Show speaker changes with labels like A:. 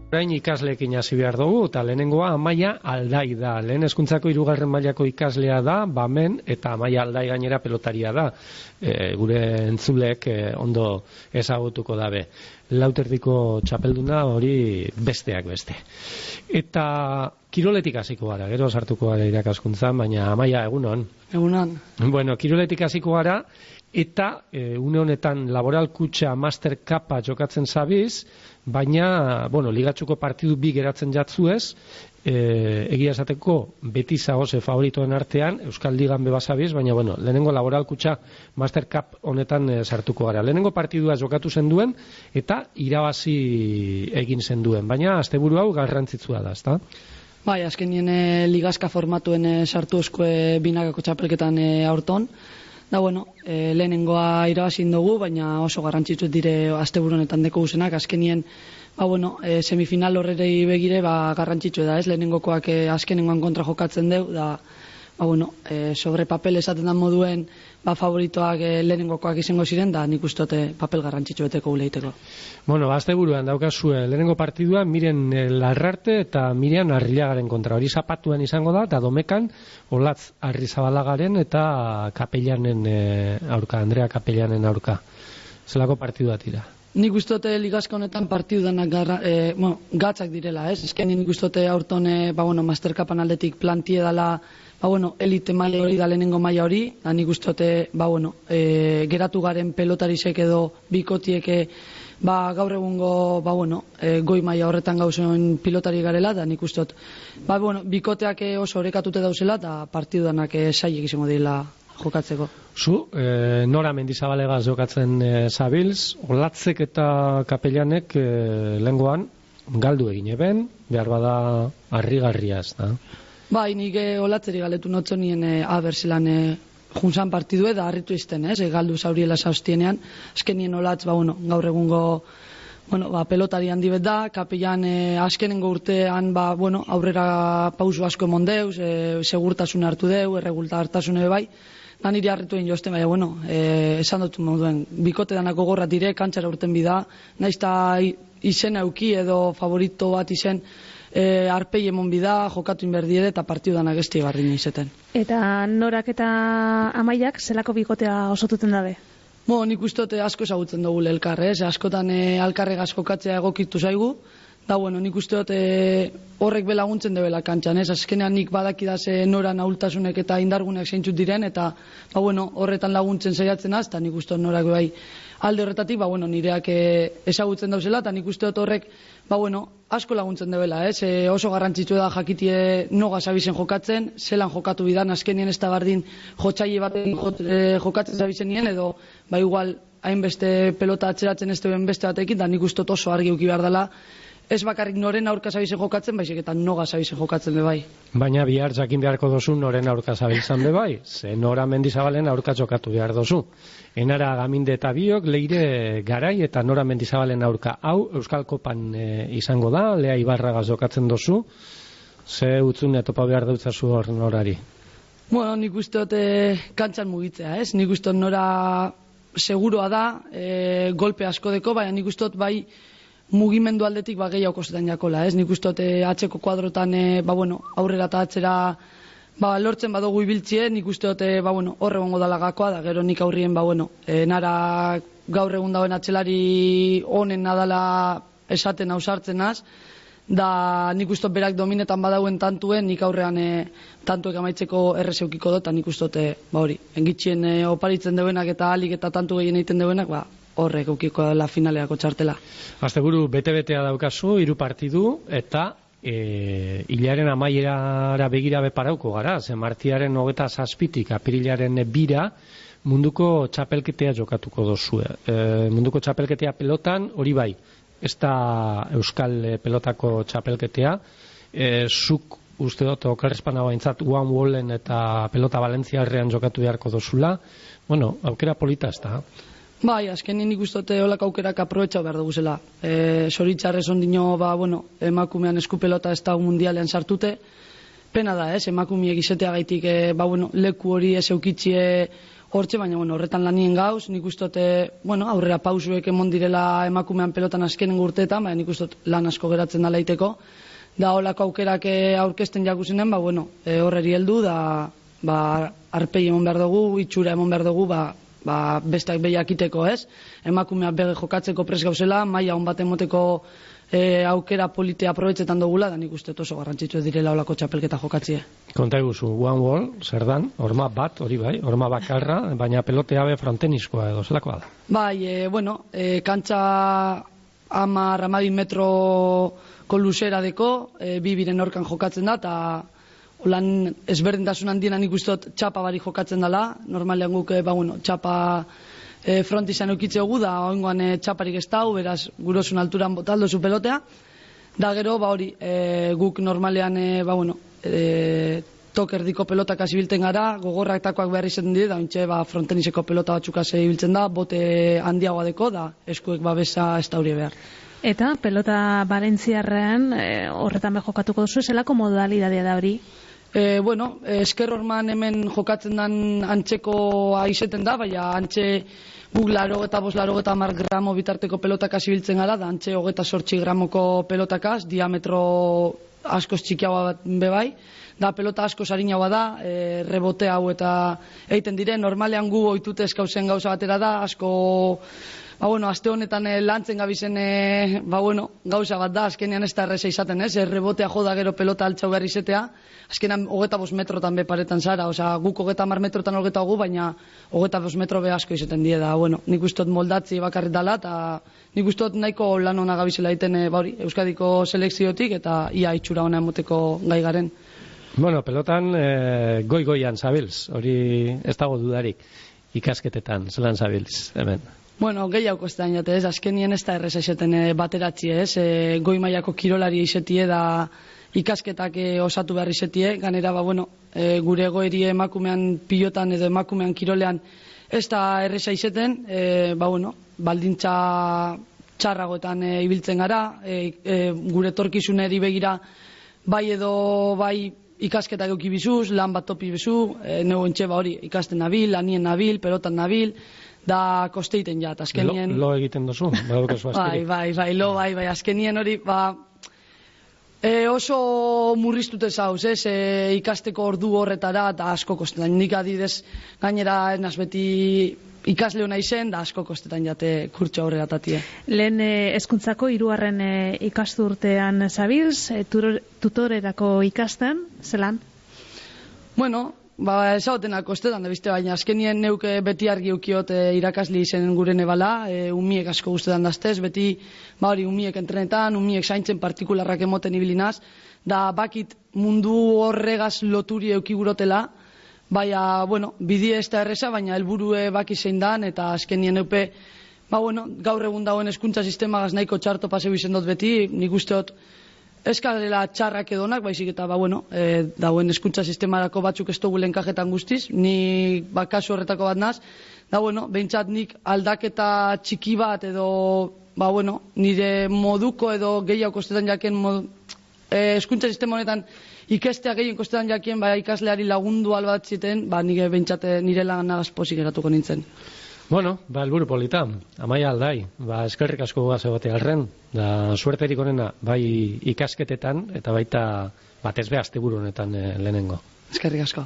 A: Orain ikasleekin hasi behar dugu, eta lehenengoa Amaia Aldai da. Lehen hezkuntzako 3. mailako ikaslea da, Bamen, eta Amaia Aldai gainera pelotaria da. Gure entzuleek ondo ezagutuko dabe. Lauterdiko txapelduna hori besteak beste. Eta kiroletik hasiko gara, gero sartuko gara irakaskuntzan, baina Amaia, egunon.
B: Egunon.
A: Bueno, kiroletik hasiko gara, eta une honetan Laboral Kutxa Master Cupa jokatzen zabiz, baina, ligatxuko partidu bi geratzen jatzuez, egia esateko beti zagoze favoritoen artean, Euskal Ligan bebazabiz, baina, lehenengo Laboral Kutxa Master Cup honetan sartuko gara. Lehenengo partidua jokatu zen duen, eta irabazi egin zen duen, baina asteburu hau garrantzitsua da, ezta?
B: Bai, azkenien ligazka formatuen sartu eskue binakako txapelketan aurton. Da, lehenengoa irabazin dugu, baina oso garrantzitsu dire asteburu honetan deko guzenak. Azkenien, semifinal horrei begire, garrantzitsu da, ez? Lehenengokoak azkenengoan kontra jokatzen deu, da, sobre papel esaten da moduen, favoritoak lehenengokoak izango ziren, da nik ustote papel garrantzitsu beteko guleiteko.
A: Asteburuan daukazue lehenengo partidua Miren Larrarte eta Mirian Arrilagaren kontra. Hori zapatuan izango da, eta Domekan Olatz Arrizabalagaren eta Kapellanen aurka, Andrea Kapellanen aurka. Zelako partidua tira?
B: Nik ustote ligazka honetan partidudanak gatzak direla, ez? Ezken nik ustote aurton Mastercapan aldetik plantie dala elite maila hori da lehenengo maila hori, da nik ustote geratu garen pelotarisek edo bikotieke gaur egungo goi maila horretan gauzen pilotari garela, da nik ustot bikoteak oso orekatute dauzela eta partidudanak saiek izango dira jokatzeko.
A: Zu, Nora Mendizabalegaz jokatzen zabilz, Olatzek eta Kapellanek lehengoan galdu egin eben, behar bada harrigarriaz, da?
B: Bai, nik Olatzeri galetu notzonien abertzelan junzan partidu da harritu izten, galdu zauriela zauztienean, azkenien Olatz, gaur egungo pelotari handi bet da, Kapellan azkenengo urtean aurrera pausu asko emon deuz, segurtasuna hartu deu, erregultartasune bai, da niri harritu egin jozten, esan dut moduen, bikote danako gorra dire, kantxara urten bida, naizta izen auki edo favorito bat izen, arpei emon bida, jokatu inberdiere eta partidudanak esti garrin izeten.
C: Eta Norak eta Amaiak zelako bikotea osotuten dabe?
B: Nik ustote asko ezagutzen dugu elkar, askotan alkarregaz jokatzea egokitu zaigu, da nik usteote horrek belaguntzen debela kantxan, azkenean nik badakidaz Noran ahultasunek eta indargunek zeintzut diren, eta horretan laguntzen saiatzen az, eta nik usteot Norak bai alde horretatik, nireak ezagutzen dauzela, eta nik usteot horrek asko laguntzen debela, oso garrantzitsu da jakitie noga zabizen jokatzen, zelan jokatu bidan, azkenien ez da bardin jotxaile baten jokatzen zabizen nien, edo igual hainbeste pelota atzeratzen ez duen beste batekin, da nik usteot oso argi uki behar dela, ez bakarrik noren aurka zabizen jokatzen, baizik eta noga zabizen jokatzen be bai.
A: Baina bihar jakin beharko dozu noren aurka zabiltzan be bai, ze Nora Mendizabalen aurka jokatu behar dozu. Enara Gaminde eta biok, Leire Garai eta Nora Mendizabalen aurka. Hau Euskal Kopan izango da, Lea Ibarragaz jokatzen dozu, ze utzune topa behar dautzazu hor Norari?
B: Nik usteote kantxan mugitzea, nik usteot Nora seguroa da, golpe asko deko, baina nik usteot bai mugimendu aldetik gehiago kostetan jakola, nik usteot atxeko kuadrotan aurrera eta atzera lortzen badugu ibiltzie, nik usteot horre gongo dala gakoa, da gero nik aurrien Nara gaur egun dauen atxelari honen nadala esaten ausartzen az, da nik usteot berak dominetan badauen tantuen, nik aurrean tantuek amaitzeko errezeukiko dut, eta nik usteot engitxien oparitzen deuenak eta alik eta tantu gehien egiten deuenak, horrek eukiko dela finaleako txartela.
A: Asteburu bete-betea daukazu, 3 partidu, eta hilaren amaierara begira beparauko gara, ze martiaren 27tik apirilaren 2 munduko txapelketea jokatuko dozue. Munduko txapelketea pelotan, hori bai, ez da Euskal pelotako txapelketea, zuk uste dut okerrezpana baintzat One Wallen eta pelota Valentziarrean jokatu beharko dozula, aukera polita ez da.
B: Bai, azkenin ikustote holak aukerak aprobetxau behar dugu zela. Zoritxarrez ondino, emakumean eskupelota ez da mundialean sartute. Pena da, emakumeek izatea gaitik, leku hori ez eukitzie hortxe, baina bueno, horretan lanien gauz, nik uste bueno, aurrera pausuek emon direla emakumean pelotan azkenen urteetan, baina nik uste lan asko geratzen da laiteko, da holako aukerak aurkezten jakuzenen, bueno, horreri heldu, da arpei emon behar dugu, itxura emon behar dugu, besteak behiakiteko, ez? Emakumeak bege jokatzeko pres gauzela, maila hon bat emoteko aukera politea aprobetxetan dugula, da nik uste oso garrantzitsu ez direla olako txapelketa jokatzie.
A: Konta eguzu, one wall, zer dan, horma bat, hori bai, horma bakarra, baina pelotea be frontenizkoa edo, zelakoa da?
B: Bai, kantxa 10-12 metroko luzera deko, biren orkan jokatzen da, eta holan ezberdintasun handiena nik uste txapa bari jokatzen dela, normalean guk, txapa frontizan eukitzegu, da oingoan txaparik ez dau, beraz gurosun alturan botaldo zu pelotea, da gero, hori, guk normalean, tokerdiko pelotak azibilten gara, gogorrak takoak behar izaten dire, da ontxe, frontenizeko pelota batzuk azibiltzen da, bote handiagoa deko, da eskuek babesa ez daurie behar.
C: Eta pelota Valentziarrean horretan jokatuko duzu, zelako modalidadea da hori?
B: Esker horman hemen jokatzen dan antzeko aizeten da, baina antxe guk 85-90 gramo bitarteko pelotakaz ibiltzen gara, da antxe 28 gramoko pelotakaz, diametro askoz txikiagoa bat bebai, da pelota asko sarinagoa da, rebote hau eta egiten dire, normalean gu oitute eskauzen gauza batera da, asko aste honetan lantzen gabizen gauza bat da, azkenean ez da erreza izaten, ez? Rebotea joda gero pelota altxau behar izetea, azkenean 25 metrotan be paretan zara, guk 30 metrotan gu, baina 25 metro be asko izaten die da, nik ustot moldatzi bakarrit dala, eta nik ustot nahiko lan hona gabizela egiten Euskadiko selekziotik, eta ia itxura hona emoteko gai garen.
A: Pelotan goi-goian zabilz, hori ez dago dudarik, ikasketetan, zelan zabilz, hemen?
B: Gehiago kostean jate, ez, azkenien ez da erreza izaten bateratzi, ez, goi mailako kirolari izatie da ikasketak osatu behar izatie, ganera, gure egoeri emakumean pilotan edo emakumean kirolean ez da erreza izaten, baldintza txarragoetan ibiltzen gara, gure torkizuneri begira bai edo bai ikasketak euki bizuz, lan bat topi bizu, nego entxe hori ikasten nabil, lanien nabil, pelotan nabil, da kosteiten jat, azkenien...
A: Lo egiten duzu,
B: bai, azkenien hori, oso murriztute zauz, ez, ikasteko ordu horretara, da asko kostetan, nik adidez, gainera enaz beti ikasle hona izen, da asko kostetan jate kurtso aurrera tatie.
C: Lehen hezkuntzako 3. ikasturtean zabilz, tutorerako ikasten, zelan?
B: Ezagotenak kostetan da bizte, baina azkenien neuke beti argi ukiot irakasli izen gure nebala, umiek asko guztetan daztez, beti umiek entrenetan, umiek zaintzen partikularrak emoten ibilinaz, da bakit mundu horregaz loturi eukigurotela, baina, bidie ez da erreza, baina helburue baki zein dan, eta azkenien neupe, gaur egun dagoen hezkuntza sistemagaz nahiko txarto paseu izen dut beti, nik usteot, eskalera txarrak edonak, baizik eta dauen hezkuntza sistemarako batzuk ez dugu lenkajetan guztiz, ni kasu horretako bat naz, behintzat nik aldaketa txiki bat edo, nire moduko edo gehiago kostetan jaken hezkuntza sistema honetan ikestea gehien kostetan jakien, ikasleari lagundu albatziten, nire behintzat nire lanagaz posik eratuko nintzen.
A: Helburu polita, Amaia Aldai, eskerrik asko gugaz egote alren, da suerterik honena, bai ikasketetan, eta baita batez be asteburu honetan lehenengo.
B: Eskerrik asko.